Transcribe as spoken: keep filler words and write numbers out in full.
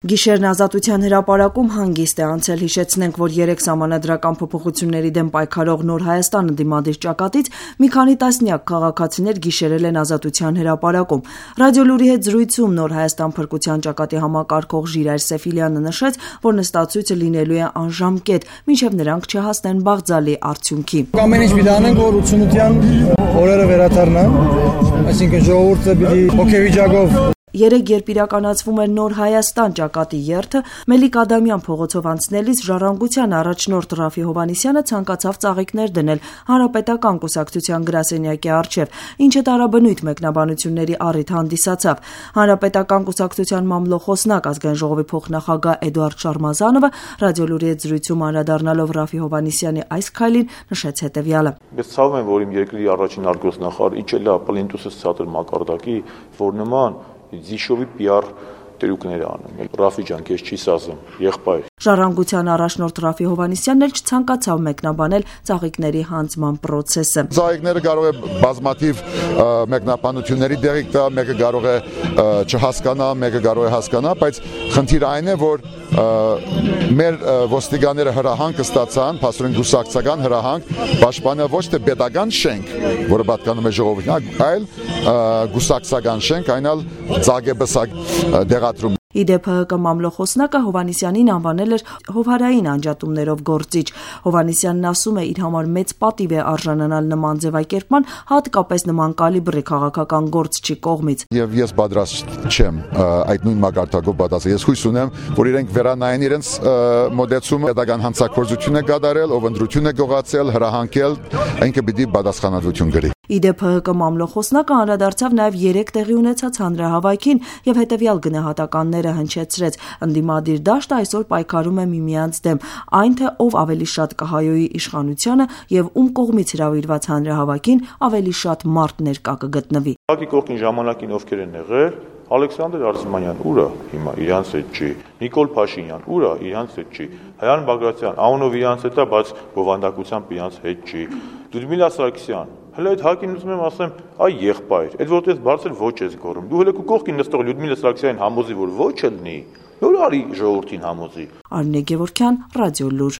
Գիշերն ազատության հրապարակում հանգիստ է անցել, հիշեցնենք, որ երեք սահմանադրական փոփոխությունների դեմ պայքարող Նոր Հայաստան ընդդիմադիր ճակատից մի քանի տասնյակ քաղաքացիներ գիշերել են ազատության հրապարակում։ Ռադիոլուրի հետ զրույցում Նոր Հայաստան փրկության ճակատի համակարգող Ժիրայր Սեֆիլյանը նշեց, որ նստածույցը լինելու է անժամկետ, մինչև նրանք չհասնեն բաղձալի արդյունքի։ Ամեն ինչ պիտի անենք, որ ութսունության օրերը վերադառնան, այսինքն ժողովուրդը պիտի հոգեվիճակով Երեկ երբ իրականացվում էր Նոր Հայաստան ճակատի երթը, Մելիք Ադամյան փողոցով անցնելիս Ժառանգության առաջնորդ Ռաֆի Հովհաննիսյանը ցանկացավ ծաղիկներ դնել Հանրապետական կուսակցության գրասենյակի առջև, ինչը տարաբնույթ մեկնաբանությունների առիթ հանդիսացավ։ Հանրապետական կուսակցության մամլոխոսնակ Ազգային ժողովի փոխնախագահ Էդուարդ Շարմազանովը ռադիոլուրի հետ զրույցում անդրադառնալով Ռաֆի Հովհաննիսյանի այս քայլին նշեց հետևյալը. Ես ցավում եմ, որ իմ երկրի առաջին արգոսնախարար իջել է պլինտուսից ցածր մակարդակի, որ նման Զիշովի պի ար տերուկներ անում։ Ռաֆի ջան, քեզ չի սազում, եղբայր։ Ժառանգության առաջնորդ Ռաֆի Հովհաննիսյանն էլ չցանկացավ մեկնաբանել ծաղիկների հանձնման process-ը։ Ծաղիկները կարող է բազմաթիվ մեկնաբանությունների դեղիկ տա, մեկը կարող է չհասկանա, մեկը կարող է հասկանա, բայց խնդիրը այն է, որ մեր ոստիկանները հրահանգ ստացան, փաստորեն գուսակցական հրահանգ, պաշտպանը ոչ թե պետական շենք, որը պատկանում է ժողովրդին, այլ գուսակցական շենք, այն էլ ծաղկեբսակ դեղատրում։ Իդեպ ՀՀԿ մամլոխոսնակը Հովհաննիսյանին անվանել էր հովհարային անջատումներով գործիչ։ Հովհաննիսյանն ասում է, իր համար մեծ պատիվ է արժանանալ նման ձևակերպման, հատկապես նման կալիբրի քաղաքական գործչի կողմից։ Եվ ես պատրաստ չեմ այդ նույն մակարդակով պատասխանել։ Ես հույս ունեմ, որ իրենք վերանային իրենց մոդեցումը, պետական հանցագործություն է կատարել, ով ընտրություն է գողացել, հրահանգել, ինքը պիտի պատասխանատվություն կրի։ Իդեպ ՀՀԿ մամլոխոսնակը անդրադարձավ նաև երեք տեղի ունեցած հանրահավաքին եւ հետեւյալ գնահատականները հնչեցրեց. ընդդիմադիր դաշտը այսօր պայքարում է միմյանց դեմ, այն թե ով ավելի շատ կհայոյի իշխանությանը եւ ում կողմից հրավիրված հանրահավաքին ավելի շատ մարդ ներկա կգտնվի։ Հակի կողքին ժամանակին ովքեր են եղել, Ալեքսանդր Արզումանյան ուրա հիմա իրանց հետ չի, Նիկոլ Փաշինյան ուրա իրանց հետ չի, Հայան Բագրատյան Աունով իրանց հետ է, բայց բովանդակությամբ իրանց հետ չի, Լյուդմիլա Սարգսյան Հələ այդ հակին ուզում եմ ասեմ, այ եղբայր, այդ որտեղ բարձր ոչ ես գոռում։ Դու հələ քո կողքին նստող Լյուդմիլա Սարգսյանին համոզի, որ ոչ ելնի, նոր արի ժողովրդին համոզի։ Արմինե Գևորգյան, Ռադիոլուր։